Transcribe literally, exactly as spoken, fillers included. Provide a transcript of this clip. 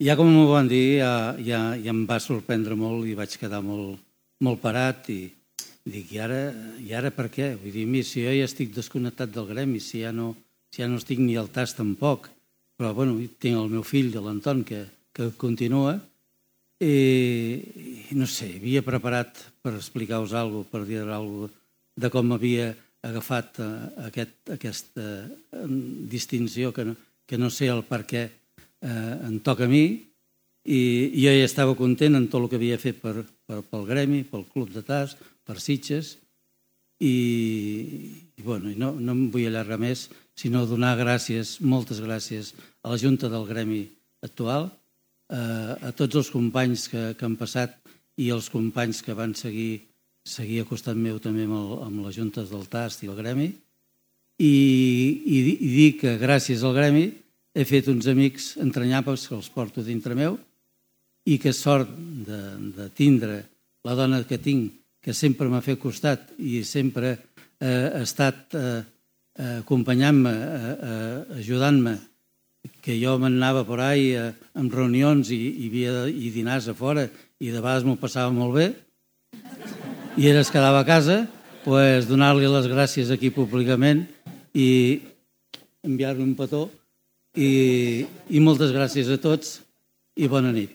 ja com m'ho van dir, ja, ja, ja em va sorprendre molt i vaig quedar molt, molt parat i dic, i ara, i ara per què? Vull dir, mira, si jo ja estic desconnectat del gremi, si ja no, si ja no estic ni al tas tampoc, però bueno, tinc el meu fill, l'Anton, que, que continua, i no sé, havia preparat per explicar-vos alguna cosa, per dir alguna cosa de com havia agafat aquest, aquesta distinció que no, que no sé el per què eh, em toca a mi, i jo ja estava content en tot el que havia fet per, per, pel gremi, pel club de tas, per Sitges, i, i, bueno, i no, no em vull allargar més, sinó donar gràcies, moltes gràcies a la Junta del Gremi actual, a tots els companys que, que han passat i els companys que van seguir, seguir a costat meu també amb, el, amb les juntes del Tast i el Gremi, i, i, i dir que gràcies al Gremi he fet uns amics entranyables que els porto dintre meu i que sort de, de tindre la dona que tinc, que sempre m'ha fet costat i sempre eh, ha estat eh, acompanyant-me, eh, eh, ajudant-me, que jo m'anava per ahí en reunions i, i havia i dinars a fora i de vegades m'ho passava molt bé i era es quedava a casa, pues, donar-li les gràcies aquí públicament i enviar-li un petó i, i moltes gràcies a tots i bona nit.